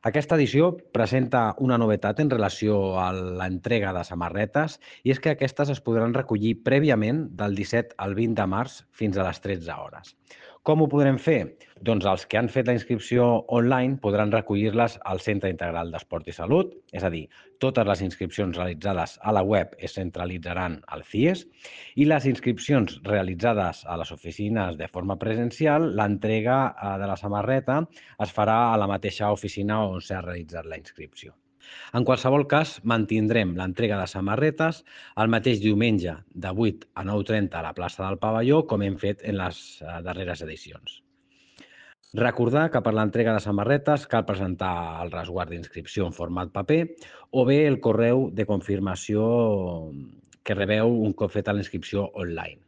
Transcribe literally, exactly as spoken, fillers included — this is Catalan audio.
Aquesta edició presenta una novetat en relació a l'entrega de samarretes i és que aquestes es podran recollir prèviament del disset al vint de març fins a les tretze hores. Com ho podrem fer? Doncs els que han fet la inscripció online podran recollir-les al Centre Integral d'Esport i Salut, és a dir, totes les inscripcions realitzades a la web es centralitzaran al C I E S i les inscripcions realitzades a les oficines de forma presencial, l'entrega eh, de la samarreta es farà a la mateixa oficina on s'ha realitzat la inscripció. En qualsevol cas, mantindrem l'entrega de samarretes el mateix diumenge de vuit a nou trenta a la plaça del Pavelló, com hem fet en les eh, darreres edicions. Recordar que per l'entrega de samarretes cal presentar el resguard d'inscripció en format paper o bé el correu de confirmació que rebeu un cop feta la inscripció online.